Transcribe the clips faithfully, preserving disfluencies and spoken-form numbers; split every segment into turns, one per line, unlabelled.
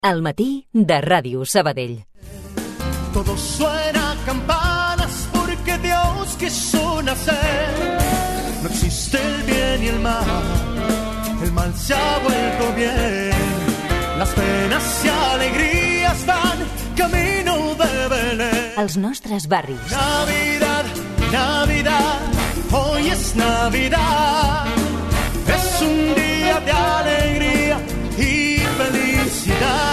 Al matí de Ràdio Sabadell.
Todo suena a campanas porque Dios quiso nacer. No existe el bien y el mal, el mal se ha vuelto bien. Las penas y alegrías van camino de Belén.
Els nostres barris.
Navidad, Navidad, hoy es Navidad. Es un día de alegría y felicidad.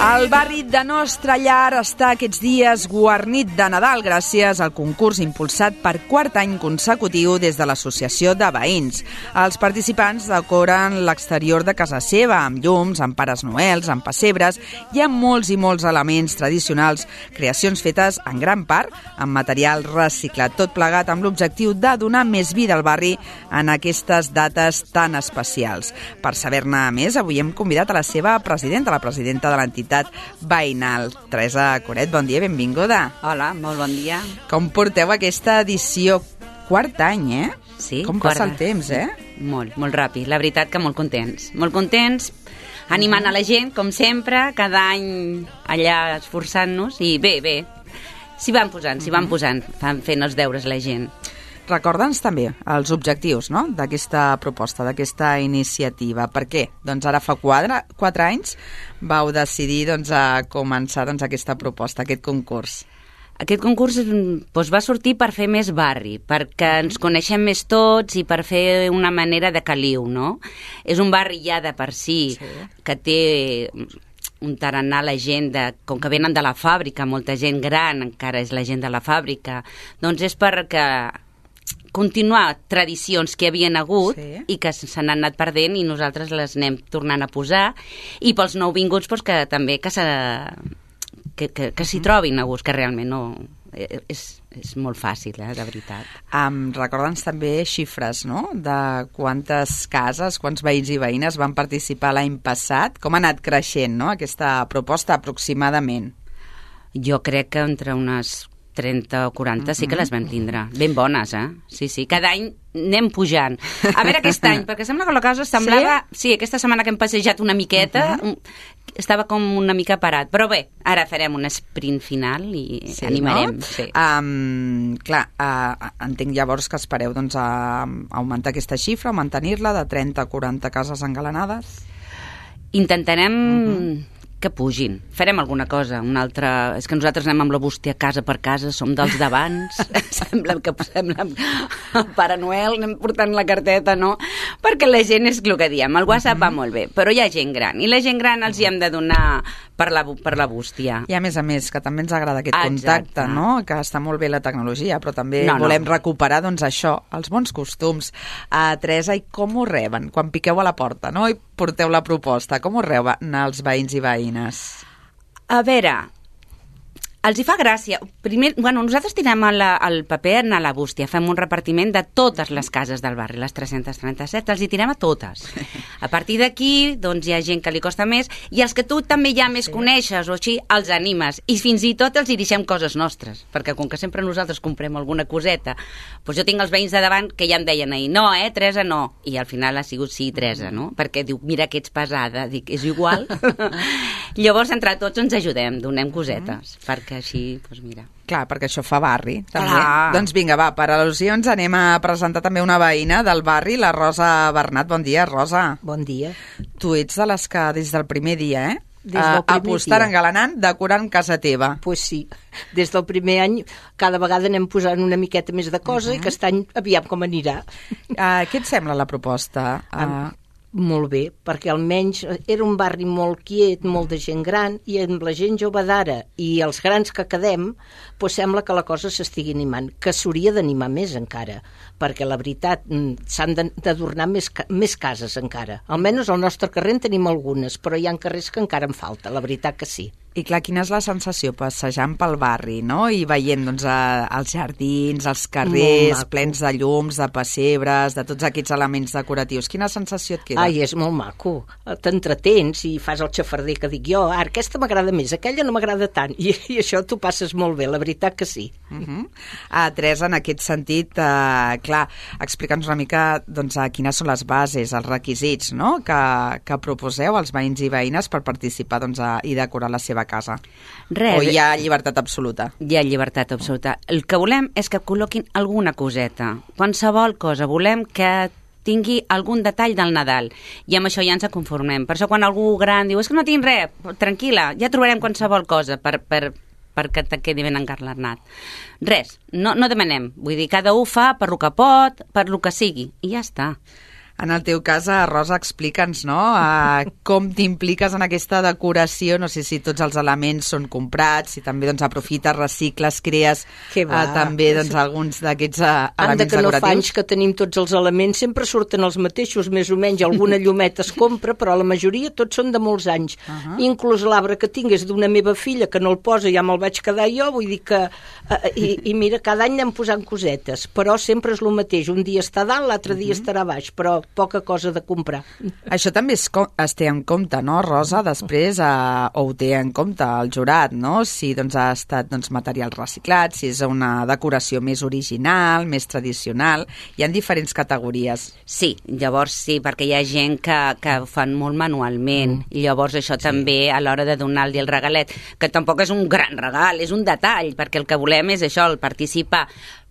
El barri de Nostra Llar està aquests dies guarnit de Nadal gràcies al concurs impulsat per quart any consecutiu des de l'Associació de Veïns. Els participants decoren l'exterior de casa seva amb llums, amb pares noels, amb pessebres i amb molts i molts elements tradicionals, creacions fetes en gran part amb material reciclat, tot plegat amb l'objectiu de donar més vida al barri en aquestes dates tan especials. Per saber-ne més, avui hem convidat a la seva presidenta, la presidenta de l'entitat veïnal. Teresa Coret, bon dia, benvinguda.
Hola, molt bon dia.
Com porteu aquesta edició? Quart any, eh?
Sí,
Com passa el temps, eh?
Molt, molt ràpid. La veritat que molt contents. Molt contents, animant a la gent, com sempre, cada any allà esforçant-nos, i bé, bé, s'hi van posant, s'hi van posant, fan fent els deures la gent.
Recorda'ns també els objectius, no?, d'aquesta proposta, d'aquesta iniciativa. Per què? Doncs ara fa quatre, quatre anys vau decidir doncs, a començar doncs, aquesta proposta, aquest concurs.
Aquest concurs doncs, va sortir per fer més barri, perquè ens coneixem més tots i per fer una manera de caliu, no? És un barri ja de per si, sí, que té un tarannà la gent, de, com que venen de la fàbrica, molta gent gran encara és la gent de la fàbrica, doncs és perquè continuar tradicions que havien hagut, sí, i que se n'han anat perdent i nosaltres les anem tornant a posar, i pels nouvinguts doncs, que també que, se, que, que, que s'hi trobin a gust, que realment no, és, és molt fàcil, eh, de veritat.
Um, Recorda'ns també xifres, no?, de quantes cases, quants veïns i veïnes van participar l'any passat, com ha anat creixent, no?, aquesta proposta aproximadament.
Jo crec que entre unes trenta o quaranta sí que les vam tindre. Ben bones, eh? Sí, sí. Cada any anem pujant. A veure aquest any, perquè sembla que la cosa semblava... Sí, sí, aquesta setmana que hem passejat una miqueta, uh -huh, estava com una mica parat. Però bé, ara farem un sprint final i sí, animarem.
No?
Sí.
Um, clar, uh, entenc llavors que espereu doncs, a, a augmentar aquesta xifra, a mantenir-la de trenta a quaranta cases engalanades?
Intentarem... Uh -huh. que pugin. Farem alguna cosa, una altra... És que nosaltres anem amb la bústia casa per casa, som dels d'abans, sembla que sembla el Pare Noel, anem portant la carteta, no? Perquè la gent és el que diem, el WhatsApp va molt bé, però hi ha gent gran, i la gent gran els hi hem de donar per la, per la bústia.
I a més a més, que també ens agrada aquest contacte, exacte, no? Que està molt bé la tecnologia, però també
no,
volem
no.
recuperar, doncs, això, els bons costums. Uh, Teresa, i com ho reben? Quan piqueu a la porta, no?, i porteu la proposta, com ho reben els veïns i veïnes?
A veure, els hi fa gràcia. Primer, bueno, nosaltres tirem el, el paper a la bústia, fem un repartiment de totes les cases del barri, les tres-centes trenta-set, els hi tirem a totes. A partir d'aquí, doncs hi ha gent que li costa més, i els que tu també ja més sí. coneixes o així, els animes, i fins i tot els hi deixem coses nostres, perquè com que sempre nosaltres comprem alguna coseta, doncs jo tinc els veïns de davant que ja em deien ahir, no, eh, Teresa, no, i al final ha sigut sí, Teresa, no? Perquè diu, mira que ets pesada, dic, és igual. Llavors, entre tots ens ajudem, donem cosetes, perquè així, doncs mira.
Clar, perquè això fa barri, també.
Clar.
Doncs vinga, va, per al·lusions anem a presentar també una veïna del barri, la Rosa Bernat. Bon dia, Rosa.
Bon dia.
Tu ets de les que des del primer dia, eh?
Des del primer
apostant,
dia.
Engalanant, decorant casa teva.
Pues sí, des del primer any cada vegada anem posant una miqueta més de cosa, uh-huh, i aquest any aviam com anirà.
Uh, què et sembla la proposta? Uh...
Molt bé, perquè almenys era un barri molt quiet, molt de gent gran, i amb la gent jove d'ara i els grans que quedem, doncs sembla que la cosa s'estigui animant, que s'hauria d'animar més encara, perquè la veritat s'han d'adornar més, més cases encara. Almenys al nostre carrer en tenim algunes, però hi ha carrers que encara en falta, la veritat que sí.
I clar, quina és la sensació passejant pel barri, no? I veient doncs, a, els jardins, els carrers plens de llums, de pessebres, de tots aquests elements decoratius. Quina sensació et queda?
Ai, és molt maco. T'entretens i fas el xafarder que dic jo. Ara, aquesta m'agrada més, aquella no m'agrada tant. I, i això t'ho passes molt bé, la veritat que sí.
Uh-huh. uh, Teresa, en aquest sentit, uh, clar, explica'ns una mica doncs, uh, quines són les bases, els requisits, no?, que, que proposeu als veïns i veïnes per participar doncs, a, i decorar la seva casa.
Res.
O hi ha llibertat absoluta?
Hi ha llibertat absoluta. El que volem és que col·loquin alguna coseta, qualsevol cosa. Volem que tingui algun detall del Nadal, i amb això ja ens conformem. Per això quan algú gran diu és que no tinc res, tranquil·la, ja trobarem qualsevol cosa per, per, perquè te quedi ben encarnat. Res, no, no demanem. Vull dir, cada un fa per lo que pot, per lo que sigui, i ja està.
En el teu cas, Rosa, explica'ns, no?, uh, com t'impliques en aquesta decoració, no sé si tots els elements són comprats, si també doncs, aprofites, recicles, crees uh, també doncs, alguns d'aquests uh, elements
que no
decoratius.
fa anys que tenim tots els elements, sempre surten els mateixos, més o menys, alguna llumeta es compra, però la majoria tots són de molts anys. Uh-huh. Inclús l'arbre que tinc és d'una meva filla, que no el posa, ja me'l vaig quedar jo, vull dir que... Uh, i, I mira, cada any anem posant cosetes, però sempre és el mateix, un dia està dalt, l'altre dia uh-huh. estarà baix, però poca cosa de comprar.
Això també es, es té en compte, no, Rosa? Després, eh, o ho té en compte el jurat, no? Si doncs, ha estat doncs, material reciclat, si és una decoració més original, més tradicional. Hi ha diferents categories.
Sí, llavors sí, perquè hi ha gent que, que ho fan molt manualment. Mm. I llavors això sí. També a l'hora de donar-li el regalet, que tampoc és un gran regal, és un detall, perquè el que volem és això, el participar.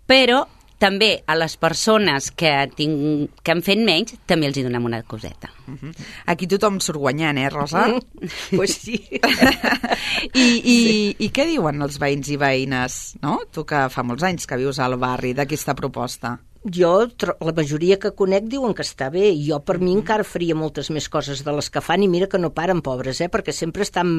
Però també a les persones que, tinc, que han fet menys, també els hi donem una coseta.
Uh-huh. Aquí tothom surt guanyant, eh, Rosa?
Mm. Pues sí.
I, i, sí. I què diuen els veïns i veïnes, no? Tu que fa molts anys que vius al barri, d'aquesta proposta.
Jo, la majoria que conec diuen que està bé. Jo, per mi, encara faria moltes més coses de les que fan i mira que no paren, pobres, eh? Perquè sempre estan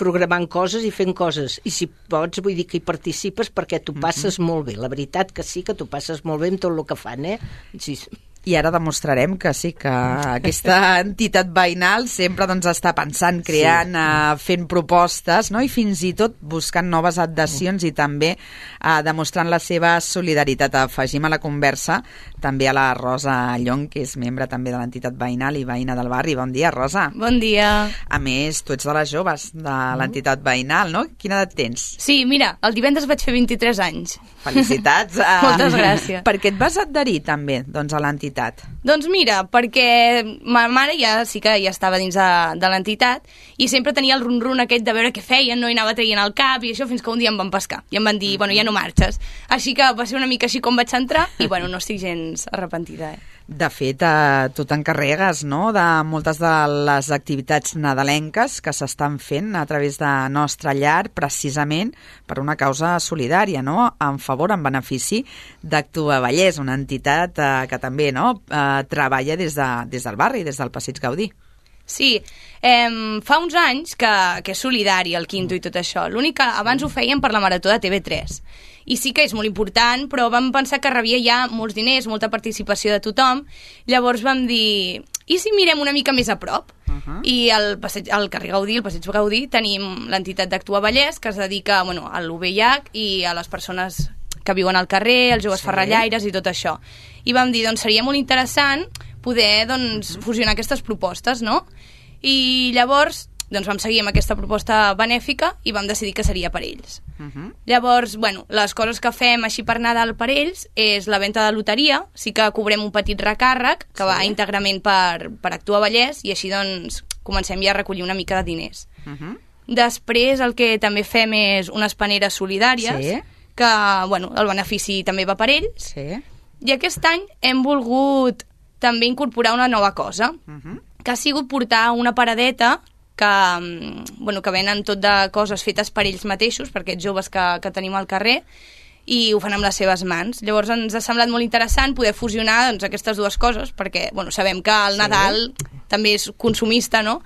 programant coses i fent coses, i si pots vull dir que hi participes perquè t'ho passes mm-hmm. molt bé, la veritat que sí que t'ho passes molt bé amb tot el que fan, eh? Sí.
I ara demostrarem que sí, que aquesta entitat veïnal sempre doncs, està pensant, creant, sí. uh, fent propostes, no? I fins i tot buscant noves adhesions i també uh, demostrant la seva solidaritat. Afegim a la conversa també a la Rosa Llong, que és membre també de l'entitat veïnal i veïna del barri. Bon dia, Rosa.
Bon dia.
A més, tu ets de les joves de l'entitat veïnal, no? Quina edat tens?
Sí, mira, el divendres vaig fer vint-i-tres anys.
Felicitats. Uh,
Moltes gràcies.
Per què et vas adherir també doncs, a l'entitat?
Doncs mira, perquè ma mare ja sí que ja estava dins de, de l'entitat i sempre tenia el run-run aquest de veure què feien, no? I anava traient el cap i això fins que un dia em van pescar i em van dir, bueno, ja no marxes. Així que va ser una mica així com vaig entrar i bueno, no estic gens arrepentida, eh?
De fet, eh, tu t'encarregues, no?, de moltes de les activitats nadalenques que s'estan fent a través de Nostra Llar, precisament per una causa solidària, no?, en favor, en benefici d'Actua Vallès, una entitat eh, que també no, eh, treballa des, de, des del barri, des del Passeig Gaudí.
Sí, eh, fa uns anys que, que és solidari el quinto i tot això. L'únic que abans ho fèiem per la Marató de T V tres. I sí que és molt important, però vam pensar que rebia ja molts diners, molta participació de tothom. Llavors vam dir, i si mirem una mica més a prop? Uh-huh. I al, passeig, al carrer Gaudí, al Passeig Gaudí, tenim l'entitat d'Actua Vallès, que es dedica bueno, a l'U V I H i a les persones que viuen al carrer, els joves sí. ferrallaires i tot això. I vam dir, doncs seria molt interessant poder doncs, uh-huh. fusionar aquestes propostes, no? I llavors doncs, vam seguir amb aquesta proposta benèfica i vam decidir que seria per ells. Uh-huh. Llavors, bueno, les coses que fem així per Nadal per ells és la venda de loteria, sí que cobrem un petit recàrrec que sí. va íntegrament per, per Actua Vallès i així doncs comencem ja a recollir una mica de diners. Uh-huh. Després el que també fem és unes paneres solidàries sí. que, bueno, el benefici també va per ells
sí.
i aquest any hem volgut també incorporar una nova cosa, uh-huh. que ha sigut portar una paradeta que, bueno, que venen tot de coses fetes per ells mateixos, per aquests joves que, que tenim al carrer, i ho fan amb les seves mans. Llavors ens ha semblat molt interessant poder fusionar doncs, aquestes dues coses, perquè bueno, sabem que el sí. Nadal també és consumista, no?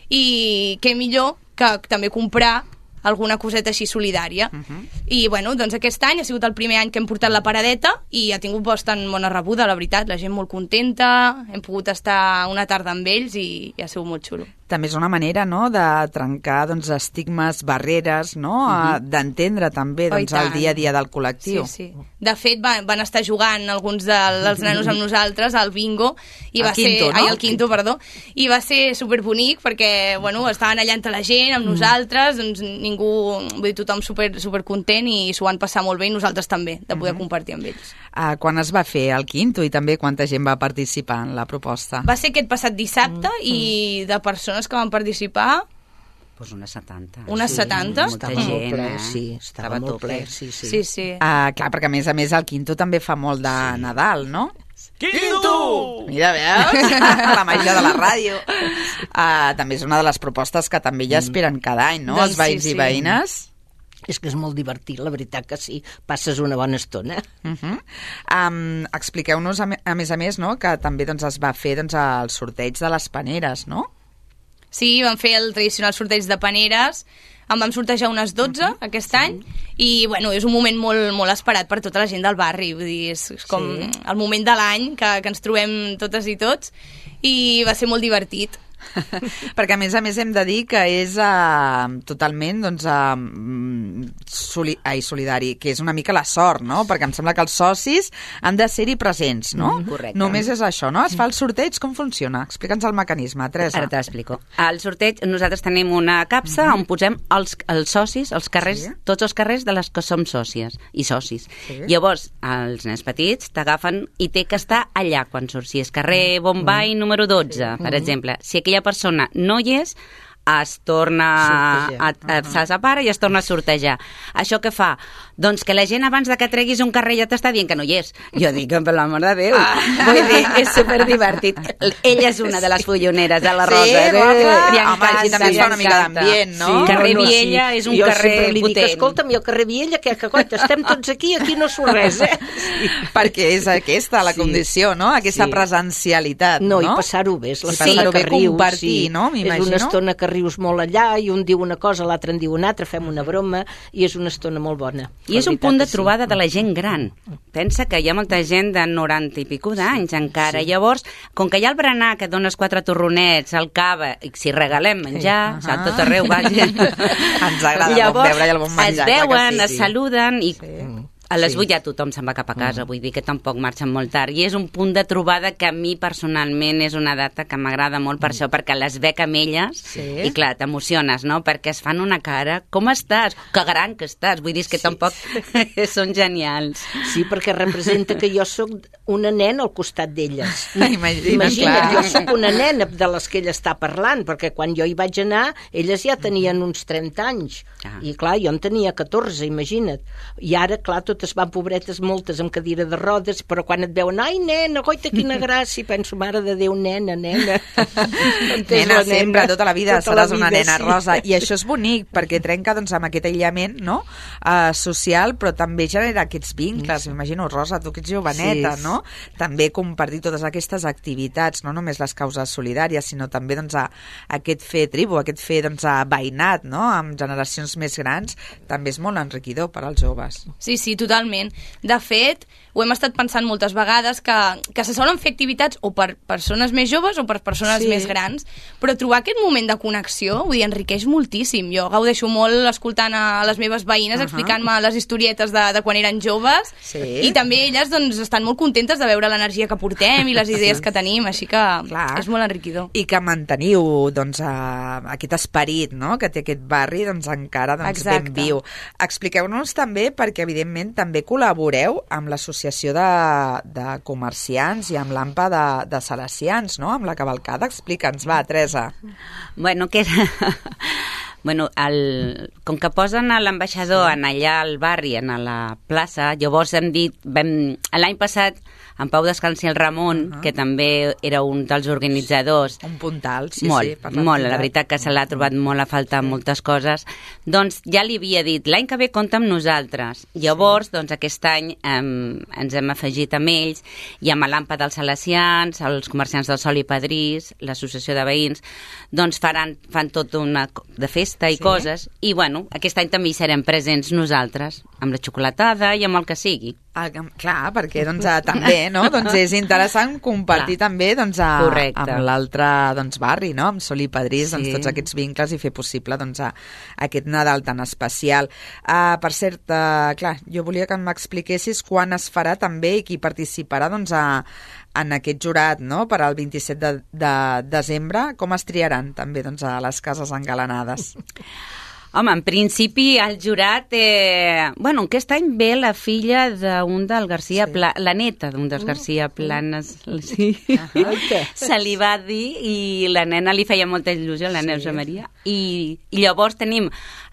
I què millor que també comprar alguna coseta així solidària. Uh-huh. I, bueno, doncs aquest any ha sigut el primer any que hem portat la paradeta i ha tingut bastant bona rebuda, la veritat. La gent molt contenta, hem pogut estar una tarda amb ells i, i ha sigut molt xulo.
també és una manera, no?, de trencar, doncs, estigmes, barreres, no?, uh-huh. d'entendre també, doncs, el dia a dia del col·lectiu.
Sí, sí. De fet, van, van estar jugant alguns de, dels nanos amb nosaltres al bingo, i va
el quinto,
ser,
no?
ai, el quinto, perdó, i va ser superbonic perquè, bueno, estaven allà entre la gent, amb nosaltres, doncs ningú, vull dir, tothom super, super content i s'ho van passar molt bé i nosaltres també, de poder uh-huh. compartir amb ells.
Uh, quan es va fer el quinto i també quanta gent va participar en la proposta?
Va ser aquest passat dissabte uh-huh. i de persones que van participar...
Pues unes setanta.
Unes
sí,
setanta?
Molta
Estava
gent,
molt ple,
eh?
sí, estava, estava molt ple, sí, sí.
Sí, sí.
Uh, clar, perquè a més a més el quinto també fa molt de sí. Nadal, no?
Quinto!
Mira, veus? La màgia de la ràdio. Uh, també és una de les propostes que també ja esperen cada any, no?
Doncs
Els veïns
sí, sí.
i veïnes.
És que és molt divertit, la veritat que sí. Passes una bona estona.
Uh-huh. Um, expliqueu-nos, a, me, a més a més, no?, que també doncs, es va fer doncs, el sorteig de les paneres, no?
Sí, vam fer el tradicional sorteig de paneres, en vam sortejar unes dotze uh-huh. aquest any, i bueno, és un moment molt, molt esperat per tota la gent del barri, vull dir, és, és com sí. el moment de l'any que, que ens trobem totes i tots, i va ser molt divertit.
Perquè a més a més hem de dir que és uh, totalment doncs, uh, soli ai, solidari, que és una mica la sort, no? Perquè em sembla que els socis han de ser-hi presents, no?
Mm, correcte.
Només és això, no? Es fa el sorteig, com funciona? Explica'ns el mecanisme, Teresa.
Ara t'explico. Al sorteig nosaltres tenim una capsa mm-hmm. on posem els, els socis, els carrers, sí. tots els carrers de les que som sòcies i socis. Sí. Llavors, els nens petits t'agafen i té que estar allà quan surts. Si és carrer Bombay mm. número dotze, sí. per exemple, si aquella persona no hi és, es torna a, a, se separa i es torna a sortejar. Això què fa? Doncs que la gent abans de que treguis un carrer ja t'està dient que no hi és. Jo dic, per l'amor de Déu. Ah. Vull dir, és superdivertit. Ella és una de les folloneres de la Rosa.
Sí,
eh?
Rosa. Home, així també es fa una mica d'ambient, no?
Sí, carrer
no, no,
Viella
sí.
és un
jo
carrer
sempre li dic,
potent.
escolta'm, i el carrer Viella, que, que coita, estem tots aquí, aquí no surt res, eh? Sí.
Perquè és aquesta la
Sí.
condició, no? Aquesta
Sí.
presencialitat,
No,
no?
i passar-ho bé, és
I
l'estona
passar-ho
que
bé,
rius.
compartir,
sí.
no? M'imagino.
És una estona que rius molt allà, i un diu una cosa, l'altre en diu una altra, fem una broma, i és una estona molt bona.
I és un punt de trobada de la gent gran. Pensa que hi ha molta gent de noranta i pico d'anys encara. Sí. Llavors, com que hi ha el berenar, que et dones quatre torronets, el cava, i si regalem menjar, sí. a tot arreu, vaja.
Ens agrada el bon beure i el bon menjar.
Es veuen,
sí,
es
sí.
saluden i...
Sí.
A les
Sí.
vuit ja tothom se'n va cap a casa, mm. vull dir que tampoc marxen molt tard. I és un punt de trobada que a mi personalment és una data que m'agrada molt per mm. això, perquè les veig amb elles sí. i clar, t'emociones, no? Perquè es fan una cara, com estàs? Que gran que estàs, vull dir que sí. tampoc són genials.
Sí, perquè representa que jo sóc una nena al costat d'elles.
Imagina,
Imagina't,
clar.
jo sóc una nena de les que ella està parlant, perquè quan jo hi vaig anar, elles ja tenien uns trenta anys.
Ah.
I clar, jo en tenia catorze, imagina't. I ara, clar, totes van pobretes, moltes amb cadira de rodes, però quan et veuen, ai, nena, goita, quina gràcia, penso, mare de Déu, nena, nena.
Nena, sempre, tota la vida
tota
seràs
la vida,
una nena,
sí.
Rosa. I això és bonic, perquè trenca doncs, amb aquest aïllament, no?, uh, social, però també genera aquests vincles. M'imagino, Rosa, tu que ets joveneta,
Sí.
no? També compartir totes aquestes activitats, no només les causes solidàries, sinó també doncs, a, aquest fer tribu, aquest fer doncs, a veïnat, no?, amb generacions més grans, també és molt enriquidor per als joves.
Sí, sí, totalment. De fet, ho hem estat pensant moltes vegades que, que se solen fer activitats o per persones més joves o per persones
Sí.
més grans, però trobar aquest moment de connexió, vull dir, enriqueix moltíssim. Jo gaudeixo molt escoltant a les meves veïnes uh -huh. explicant-me les historietes de, de quan eren joves
Sí.
i també elles doncs, estan molt contentes de veure l'energia que portem i les idees sí. que tenim, així que
Clar.
és molt enriquidor.
I que manteniu doncs, a, aquest esperit, no?, que té aquest barri doncs, encara doncs, ben
Exacte.
viu. Expliqueu-nos també, perquè evidentment també col·laboreu amb l'Associació de, de Comerciants i amb l'AMPA de, de Salesians, no?, amb la cavalcada. Explica'ns, va, Teresa.
Bueno, que era... Bueno, el, com que posen a l'ambaixador sí. en allà al barri, en la plaça, llavors hem dit, vam, l'any passat, en Pau Descansi el Ramon, uh -huh. que també era un dels organitzadors,
Un puntal, sí,
molt,
sí. Per
molt, la veritat que se l'ha trobat molt a faltar sí. moltes coses, doncs ja li havia dit, l'any que ve compta amb nosaltres. Llavors, sí. doncs aquest any eh, ens hem afegit amb ells, i amb l'AMPA dels Salesians, els comerciants del Sol i Padrís, l'associació de veïns, doncs faran, fan tot una de festa i
sí.
coses, i bueno, aquest any també hi serem presents nosaltres, amb la xocolatada i amb el que sigui.
Ah, clar, perquè doncs, eh, també no? doncs és interessant compartir
clar.
també doncs, a,
Correcte.
amb l'altre doncs, barri, no? amb Sol i Pedrís,
Sí.
doncs, tots aquests vincles i fer possible doncs, a, aquest Nadal tan especial. Uh, per cert, uh, clar, jo volia que m'expliquessis quan es farà també i qui participarà doncs, a, en aquest jurat no? per al vint-i-set de, de desembre. Com es triaran també doncs, a les cases engalanades?
Home, en principi el jurat... Eh... Bueno, aquest any ve la filla d'un del García sí. Pla... la neta d'un dels García Planes. Sí.
Ah,
se li va dir i la nena li feia molta il·lusió, la sí. Neusa Maria. I, I llavors tenim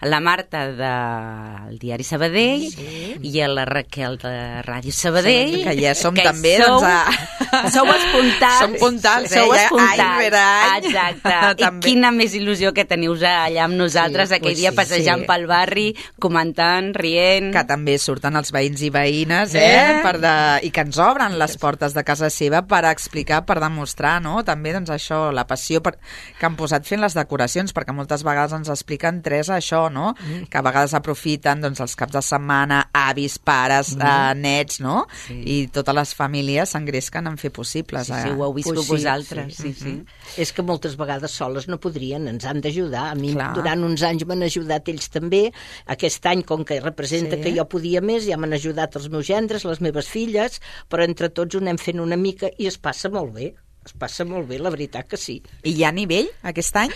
la Marta del Diari Sabadell sí. i la Raquel de Ràdio Sabadell.
Que ja som
que
també...
Sou,
doncs, a...
sou espuntals.
Som puntals, eh?
Sou
Ja,
espuntals.
any rere any.
Exacte. I quina més il·lusió que teniu allà amb nosaltres sí, aquell dia. Sí, passejant sí. pel barri, comentant, rient...
Que també surten els veïns i veïnes, eh? eh? Per de... I que ens obren les portes de casa seva per explicar, per demostrar, no? També, doncs, això, la passió per... que han posat fent les decoracions, perquè moltes vegades ens expliquen tres això, no? Mm. Que a vegades aprofiten, doncs, els caps de setmana, avis, pares, mm. eh, nets, no? Sí. I totes les famílies s'engresquen en fer possibles.
Sí,
eh?
sí, ho heu vist pues sí, vosaltres. Sí, sí. Sí.
Mm-hmm. És que moltes vegades soles no podrien, ens han d'ajudar. A mi
Clar.
durant uns anys m'han ajudat ells també. Aquest any, com que representa sí. que jo podia més, ja m'han ajudat els meus gendres, les meves filles, però entre tots ho anem fent una mica i es passa molt bé. Es passa molt bé, la veritat que sí.
I hi ha nivell aquest any?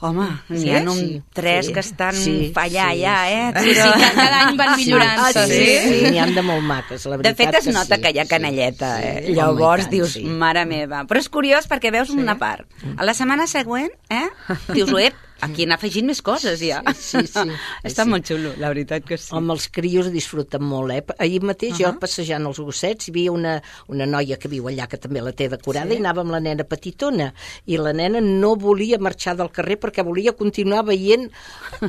Home, n'hi
sí?
ha un
Sí,
tres
sí.
que estan
Sí,
allà,
sí,
ja,
sí.
eh?
Sí, sí, que cada any van millorant.
Sí, sí,
sí.
sí, n'hi han de molt maques, la
De
veritat
fet, es
que
nota
sí,
que hi ha canelleta,
sí,
eh?
sí.
Llavors
Home, tant,
dius,
sí.
mare meva. Però és curiós perquè veus
Sí.
una part. A la setmana següent, eh? Dius, ep, aquí han afegit més coses, ja.
Sí, sí, sí.
Està
Sí.
molt xulo, la veritat que sí.
Home, els crios disfruten molt, eh? Ahir mateix, uh -huh. jo passejant els gossets, hi havia una, una noia que viu allà, que també la té decorada, sí. i anava amb la nena petitona, i la nena no volia marxar del carrer perquè volia continuar veient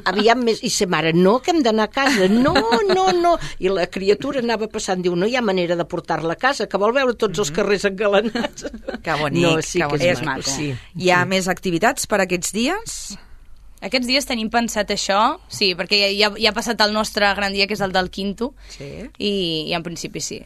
aviam més... I sa mare, no, que hem d'anar a casa, no, no, no. I la criatura anava passant, diu, no hi ha manera de portar-la a casa, que vol veure tots els carrers engalanats.
Que bonic,
no, sí
que
que
bonic.
és,
És
maco.
maco.
Sí.
Hi ha més activitats per aquests dies?
Aquests dies tenim pensat això, sí, perquè ja, ja ha passat el nostre gran dia, que és el del Quinto,
Sí.
i, i en principi sí.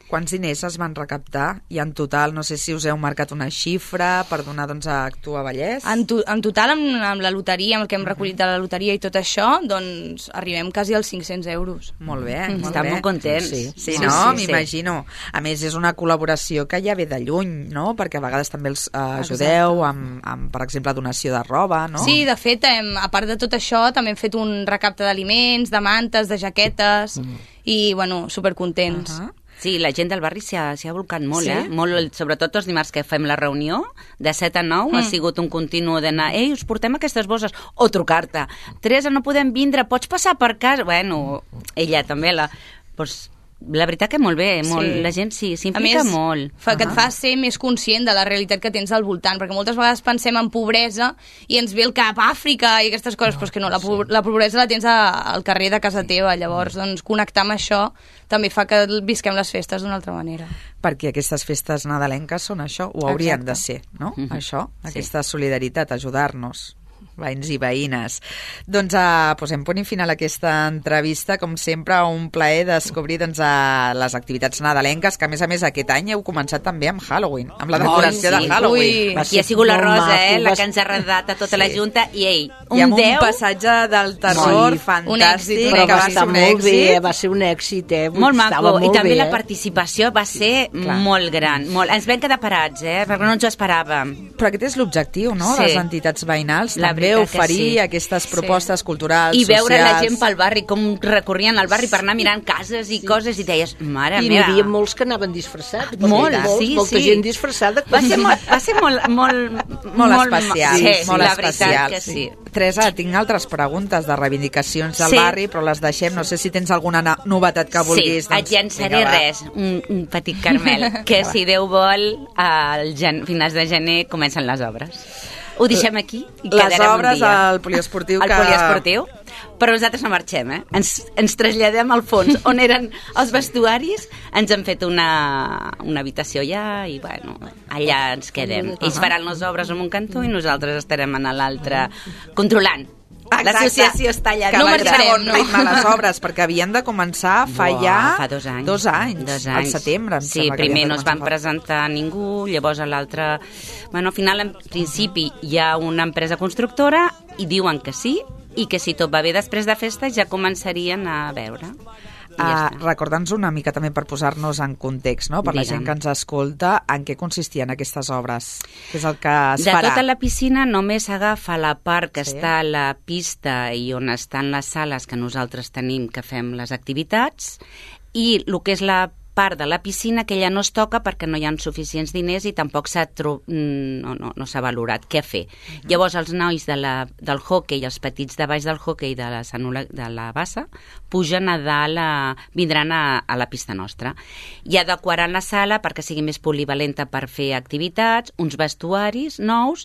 Quants diners es van recaptar? I en total, no sé si us heu marcat una xifra per donar doncs, a Actua Vallès.
En, to, en total, amb, amb la loteria, amb el que hem recollit de la loteria i tot això, doncs arribem quasi als cinc-cents euros.
Molt bé, molt
Estan
bé.
molt contents.
Sí, sí,
Sí,
no?
sí, sí.
M'imagino. A més, és una col·laboració que ja ve de lluny, no? Perquè a vegades també els eh, ajudeu amb, amb, per exemple, donació de roba, no?
Sí, de fet, hem, a part de tot això, també hem fet un recapte d'aliments, de mantes, de jaquetes, mm. i, bueno, supercontents.
Uh -huh.
Sí, la gent del barri s'hi ha, s'hi ha volcat molt,
Sí?
eh? Molt, sobretot els dimarts que fem la reunió, de set a nou, mm. ha sigut un continu d'anar, ei, us portem aquestes bosses, o trucar-te, Teresa, no podem vindre, pots passar per casa? Bueno, ella també, la... Pues, la veritat que molt bé, molt,
Sí.
la gent sí,
A
s'implica
més,
molt.
fa, que et fa ser més conscient de la realitat que tens al voltant, perquè moltes vegades pensem en pobresa i ens ve el cap a Àfrica i aquestes coses, no, però és que no, la, sí. la pobresa la tens a, al carrer de casa teva, llavors doncs, connectar amb això també fa que visquem les festes d'una altra manera.
Perquè aquestes festes nadalenques són això, ho haurien
Exacte.
de ser, no?
Mhm.
Això,
Sí.
aquesta solidaritat, ajudar-nos, veïns i veïnes. Doncs uh, posem punt i final a aquesta entrevista. Com sempre, un plaer descobrir doncs, uh, les activitats nadalenques, que a més a més aquest any heu començat també amb Halloween, amb la decoració
Oi, sí.
de Halloween.
Ui.
Aquí ha sigut la
molt
Rosa,
maco,
eh, la
va
que ens ha redat a tota
Sí.
la Junta, i ei, un
I amb
deu...
un passatge del terror
Sí.
fantàstic,
Un èxit,
Però
que
va
va ser
estar
un
molt
èxit.
bé, va ser un èxit, eh?
Molt
Estava
maco, i
molt
també
bé,
la
eh?
participació va ser
Clar.
molt gran. Molt. Ens vam quedar parats, eh, perquè no ens ho esperàvem.
Però aquest és l'objectiu, no?,
Sí.
de les entitats veïnals,
La
també
veritat que
oferir
sí.
aquestes propostes culturals,
I veure
socials.
la gent pel barri, com recorrien al barri per anar mirant cases i coses, i deies, mare
I n'hi
meva.
havia molts que anaven disfressats.
Molt,
molts,
sí,
molta
sí.
gent disfressada.
Va ser molt, va ser molt, molt,
Molt especial,
sí,
molt
la
especial.
veritat que sí.
Teresa, tinc altres preguntes de reivindicacions del
Sí.
barri, però les deixem. No sé si tens alguna na- novetat que vulguis.
Sí,
doncs,
et llançaré
vinga, va.
res, un, un petit Carmel, que si Déu vol, al gen, finals de gener comencen les obres. Ho deixem aquí i
Les
quedarem
obres
un dia.
al poliesportiu
Al
que...
poliesportiu, però nosaltres no marxem, eh? Ens, ens traslladem al fons, on eren els vestuaris, ens han fet una, una habitació allà i, bueno, allà ens quedem. Ells faran les obres en un cantó i nosaltres estarem en l'altre controlant. L'associació està allà.
Que
No
va
marxarem,
a bon
no.
ritme les obres, perquè havien de començar fa
Buah,
ja
fa dos anys.
dos anys,
Dos
al
anys.
setembre. Em
Sí,
sembla que
primer
havien de
no es van
començar.
presentar ningú, llavors a l'altre... Bueno, al final, en principi, hi ha una empresa constructora i diuen que sí, i que si tot va bé després de festa ja començarien a veure. I ja
Uh,
està.
Recorda'ns una mica també per posar-nos en context, no? Per la
Digue'm.
gent que ens escolta, en què consistien aquestes obres? Què és el que es
De
farà?
tota la piscina només agafa la part que
Sí.
està a la pista i on estan les sales que nosaltres tenim que fem les activitats, i el que és la part de la piscina que ja no es toca perquè no hi ha suficients diners i tampoc s'ha tro... no, no, no s'ha valorat què fer. Uh-huh. Llavors els nois de la, del hoquei i els petits de baix del hoquei de la, Sanula, de la bassa pugen a dalt, a, vindran a, a la pista nostra. I adequaran la sala perquè sigui més polivalenta per fer activitats, uns vestuaris nous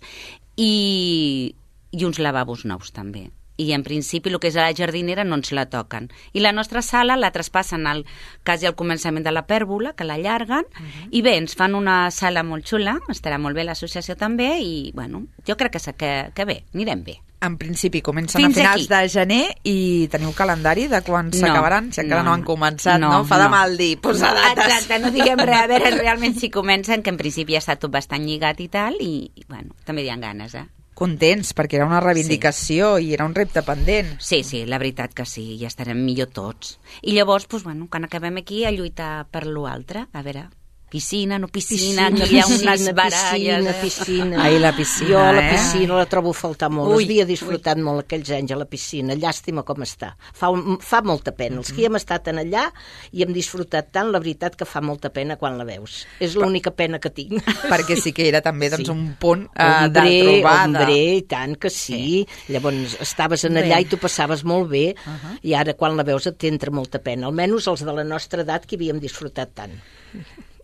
i, i uns lavabos nous també. I en principi el que és a la jardinera no ens la toquen. I la nostra sala la traspassen al, quasi al començament de la pèrgola, que l'allarguen, uh-huh. i bé, ens fan una sala molt xula, estarà molt bé l'associació també, i bueno, jo crec que, que, que bé, anirem bé.
En principi comencen
Fins
a finals
aquí.
de gener i teniu calendari de quan
No,
s'acabaran? Si encara no,
no,
han començat, no?
no,
Fa de
no.
mal dir, posar dates.
Exacte, no diguem res, a veure realment si comencen, que en principi ja està tot bastant lligat i tal, i, i bueno, també hi ha ganes, eh?
Contents, perquè era una reivindicació sí. i era un repte pendent.
Sí, sí, la veritat que sí, ja estarem millor tots. I llavors, doncs, bueno, quan acabem aquí, a lluitar per l'altre, a veure, piscina, no piscina,
Piscina,
que hi ha
piscina,
unes baralles...
piscina,
eh?
piscina.
Ai, la piscina,
Jo la
eh?
piscina la trobo a faltar molt.
Ui,
Havia disfrutat ui. molt aquells anys a la piscina. Llàstima com està. Fa, un, fa molta pena. Els que hi hem estat en allà i hem disfrutat tant, la veritat que fa molta pena quan la veus. És l'única pena que tinc.
Perquè sí que era també doncs,
Sí.
un punt uh,
Hombre,
de trobada.
hombre, i tant que sí. sí. Llavors estaves en allà
Bé.
i tu passaves molt bé,
Uh -huh.
i ara quan la veus et t'entra molta pena. Almenys els de la nostra edat que havíem disfrutat tant.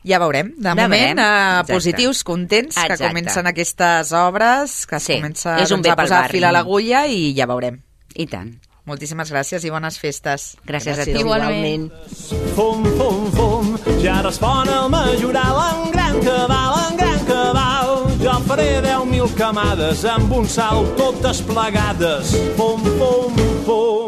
Ja veurem. De
Ja
moment,
veurem.
uh,
Exacte.
positius, contents,
Exacte.
que comencen aquestes obres, que es
Sí,
comença
és un
doncs,
bé
a
pel
posar
barri.
fil a l'agulla i ja veurem.
I tant.
Moltíssimes gràcies i bones festes.
Gràcies, a
Gràcies,
tu.
Igualment.
Fum, fum, fum, ja respon el majoral en gran cabal, en gran cabal. Jo faré deu mil camades amb un salt totes plegades. Fum, fum, fum.